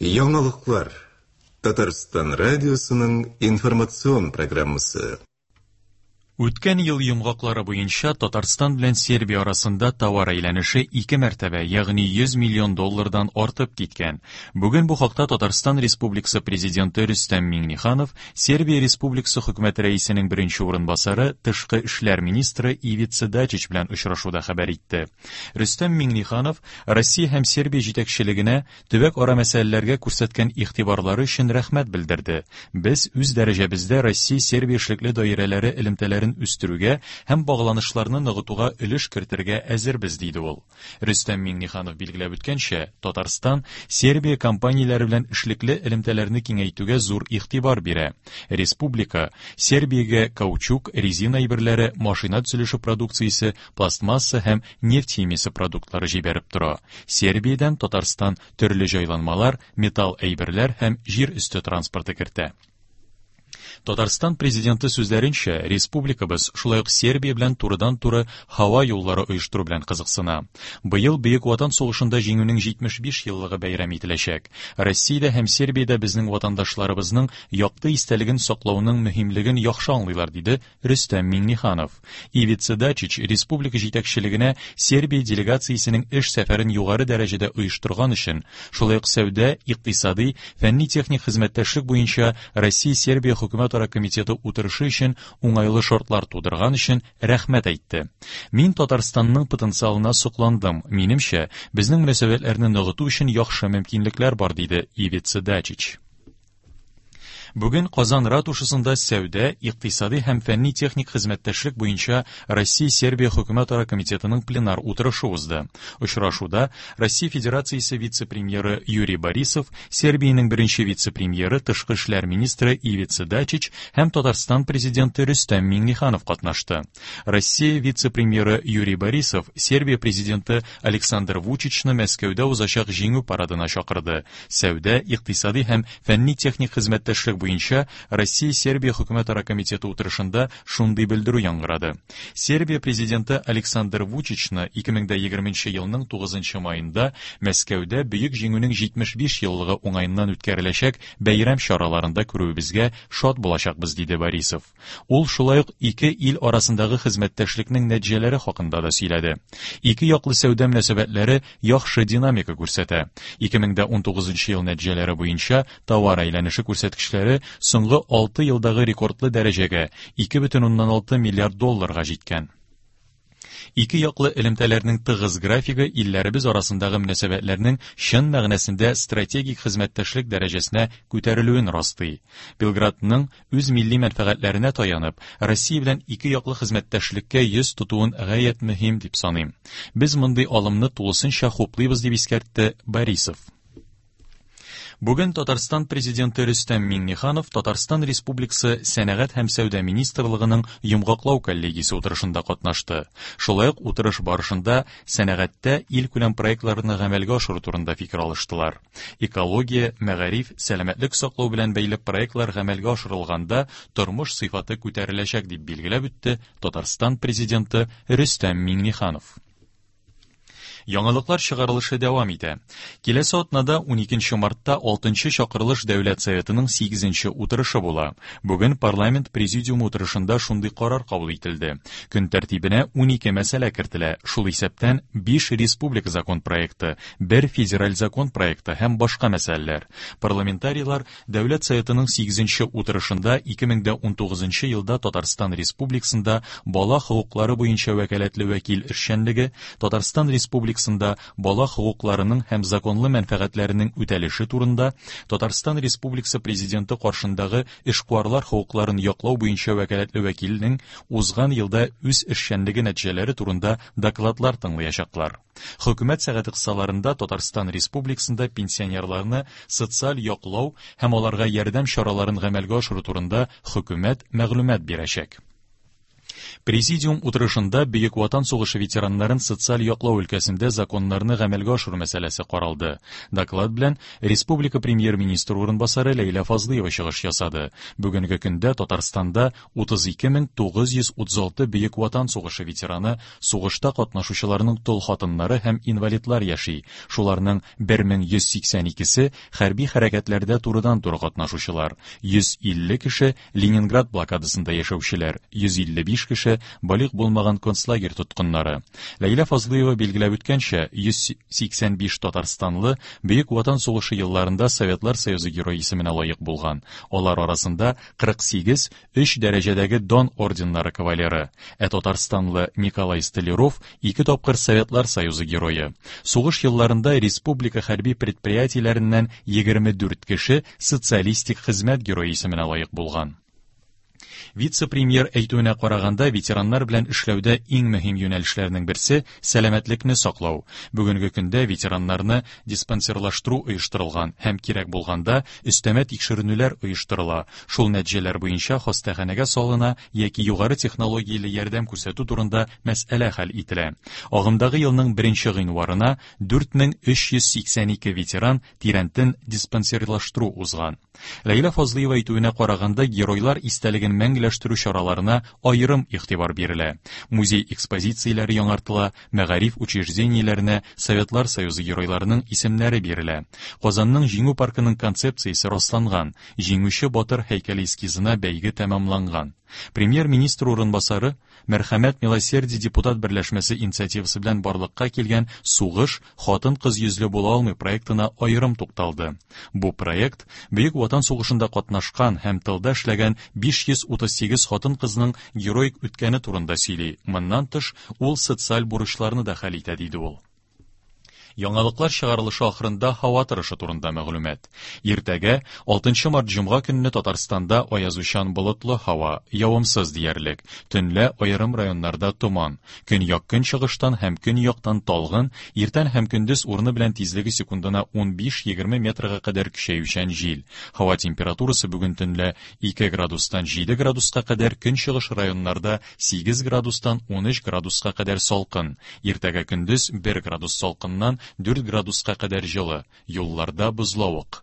Яңалыклар. Татарстан радиосының информацион программасы. Үткән ел йомгаклары буенча Татарстан белән Сербия арасында товар әйләнеше ике мәртәбә, ягъни 100 миллион доллардан артып киткән. Бүген бу хакта Татарстан Республикасы Президенты Рөстәм Миңнеханов Сербия Республикасы Хөкүмәте Рәисенең беренче урынбасары, тышкы эшләр министры Ивица Дачич белән очрашуда хәбәр итте. Рөстәм Миңнеханов Россия һәм Сербия җитәкчелегенә төбәк-ара мәсьәләләргә күрсәткән игътибарлары өчен рәхмәт белдерде. Без үз дәрәҗәбездә Россия-Сербия эшлекле даирәләре элемтәләрен үстерүгә һәм багланышларны ныгытуга өлеш кертергә әзербез, диде ул. Рөстәм Миңнеханов билгеләп үткәнчә, Татарстан Сербия компанияләре белән эшлекле элемтәләрне киңәйтүгә зур игътибар бирә. Республика Сербиягә каучук, резина әйберләре, машина төзелеше продукциясе, пластмасса һәм нефть химиясе продуктлары җибәреп тора. Сербиядән Татарстан төрле җайланмалар, металл әйберләр һәм җир өсте транспорты кертә. Татарстан президенты сүзләренчә, республикабыз шулай ук Сербия белән турыдан-туры һава юллары оештыру белән кызыксына. Быел Бөек Ватан сугышында җиңүнең 75 еллыгы бәйрәм ителәчәк. Россиядә һәм Сербиядә безнең ватандашларыбызның якты истәлеген саклауның мөһимлеген яхшы аңлыйлар, диде Рөстәм Миңнеханов. Ивица Дачич республика җитәкчелегенә Сербия делегациясенең эш сәфәрен югары дәрәҗәдә оештырган өчен, шулай ук сәүдә, икътисадый, фәнни-техник хезмәттәшлек буенча Россия-Сербия хөкүмәтара комитеты утырышы өчен уңайлы шартлар тудырган өчен рәхмәт әйтте. Мин Татарстанның потенциалына сокландым. Минемчә, безнең мөнәсәбәтләрне ныгыту өчен яхшы мөмкинлекләр бар, диде Ивица Дачич. Бүген Казан ратушасында сәүдә, икътисадый һәм фәнни-техник хезмәттәшлек буенча Россия-Сербия хөкүмәтара комитетының пленар утырышы узды. Очрашуда Россия Федерациясе вице-премьеры Юрий Борисов, Сербиянең беренче вице-премьеры, тышкы эшләр министры Ивица Дачич һәм Татарстан президенты Рөстәм Миңнеханов катнашты. Россия вице-премьеры Юрий Борисов Сербия президенты Александр Вучичны Мәскәүдә узачак Җиңү парадына чакырды. Сәүдә, икътисадый һәм фәнни-техник хезмәттәшлек буенча Россия-Сербия хөкүмәтара комитеты утырышында шундый белдерү яңгырады. Сербия президенты Александр Вучичны 2020 елның 9 маенда Мәскәүдә Бөек Җиңүнең 75 еллыгы уңаеннан үткәреләчәк бәйрәм чараларында күрүебезгә шат булачакбыз, диде Борисов. Ул шулай ук ике ил арасындагы хезмәттәшлекнең нәтиҗәләре хакында да сөйләде. Ике яклы сәүдә мөнәсәбәтләре яхшы динамика күрсәтә. 2019 ел нәтиҗәләре буенча товар әйләнеше күрсәткечләре соңгы 6 елдагы рекордлы дәрәҗәгә 2,6 миллиард долларга җиткән. Ике яклы элемтәләрнең тыгыз графигы илләребез арасындагы мөнәсәбәтләрнең чын мәгънәсендә стратегик хезмәттәшлек дәрәҗәсенә күтәрелүен раслый. Белградның үз милли мәнфәгатьләренә таянып, Россия белән ике яклы хезмәттәшлеккә йөз тотуын гаять мөһим дип саныйм. Без мондый алымны тулысынча хуплыйбыз, дип искәртте Борисов. Бүген Татарстан Президенты Рөстәм Миңнеханов Татарстан Республикасы Сәнәгать һәм сәүдә министрлыгының йомгаклау коллегиясе утырышында катнашты. Шулай ук утырыш барышында сәнәгатьтә илкүләм проектларны гамәлгә ашыру турында фикер алыштылар. Экология, мәгариф, сәламәтлек саклау белән бәйле проектлар гамәлгә ашырылганда тормыш сыйфаты күтәреләчәк, дип билгеләп үтте Татарстан Президенты Рөстәм Миңнеханов. Яңалыклар чыгарылышы дәвам итә. Киләсе атнада 12 мартта 6 чакырылыш Дәүләт Советының 8 утырышы була. Бүген парламент президиумы утырышында шундый карар кабул ителде. Көн тәртибенә 12 мәсьәлә кертелә, шул исәптән 5 республика закон проекты, 1 федераль закон проекты һәм башка мәсьәләләр. Парламентарийлар Дәүләт Советының сигезенче утырышында 2019 елда Татарстан Республикасында бала хокуклары буенча вәкаләтле вәкил эшчәнлеге, Татарстан Республикасында бала хокукларының һәм законлы мәнфәгатьләренең үтәлеше турында Татарстан Республикасы Президенты каршындагы эшкуарлар хокукларын яклау буенча вәкаләтле вәкилнең узган елда үз эшчәнлеге нәтиҗәләре турында докладлар тыңлаячаклар. Хөкүмәт сәгате кысаларында Татарстан Республикасында пенсионерларны социаль яклау һәм аларга ярдәм чараларын гамәлгә ашыру турында хөкүмәт мәгълүмат бирәчәк. Президиум утырышында Бөек Ватан сугышы ветераннарын социаль яклау өлкәсендә законнарны гамәлгә ашыру мәсьәләсе каралды. Доклад белән республика премьер-министры урынбасары Ләйлә Фазлыева чыгыш ясады. Бүгенге көндә Татарстанда 32936 Бөек Ватан сугышы ветераны, сугышта катнашучыларның тол хатыннары һәм инвалидлар яши. Шуларның 1182-се хәрби хәрәкәтләрдә турыдан-туры катнашучылар, 150 кеше Ленинград блокадасында яшәүчеләр, 155 кеше балигъ булмаган концлагерь тоткыннары. Ләйлә Фазлыева билгеләп үткәнчә, 185 татарстанлы Бөек Ватан сугышы елларында Советлар Союзы Герое исеменә лаек булган. Алар арасында 48 өч дәрәҗәдәге Дан орденнары кавалеры, ә татарстанлы Николай Столяров ике тапкыр Советлар Союзы Герое. Сугыш елларында республика хәрби предприятиеләреннән 24 кеше Социалистик хезмәт герое исеменә лаек булган. Вице-премьер әйтүенә караганда, ветераннар белән эшләүдә иң мөһим юнәлешләрнең берсе сәламәтлекне саклау. Бүгенге көндә ветераннарны диспансерлаштыру оештырылган һәм кирәк булганда өстәмә тикшеренүләр оештырыла. Шул нәтиҗәләр буенча хастаханәгә салына яки югары технологияле ярдәм күрсәтү турында мәсьәлә хәл ителә. Агымдагы елның 1 гыйнварына 4382 ветеран тирәнтен диспансерлаштыру узган. Ләйлә Фазлыева әйтүенә караганда, геройлар истәлеген мәңгеләштерү чараларына аерым игътибар бирелә. Музей экспозицияләре яңартыла, мәгариф учреждениеләренә Советлар Союзы геройларының исемнәре бирелә. Казанның Җиңү паркының концепциясе расланган, Җиңүче батыр һәйкәле эскизына бәйге тәмамланган. Премьер-министр урынбасары Мәрхәмәт Милосердие депутат берләшмәсе инициативасы белән барлыкка килгән Сугыш хатын-кыз йөзле була алмый проектына аерым тукталды. Бу проект Бөек Ватан сугышында катнашкан һәм тылда эшләгән 538 хатын-кызның героик үткәне турында сөйли. Моннан тыш, ул социаль бурычларны да хәл итә, диде ул. Яңалыклар чыгарылышы ахырында һава торышы турында мәгълүмат. Иртәгә, 6 март җомга көнне Татарстанда аязучан болытлы һава, явымсыз диярлек. Төнлә аерым районнарда томан. Көньяк-көнчыгыштан һәм көньяктан талгын, иртән һәм көндез урыны белән тизлеге секундына 15-20 метрга кадәр көчәючән җил. Һава температурасы бүген төнлә 2 градустан 7 градуска кадәр, көнчыгыш районнарда 8 градустан 13 градуска кадәр салкын. Иртәгә көндез 1 градус салкыннан 4 градуска кадәр җылы. Юлларда бозлавык.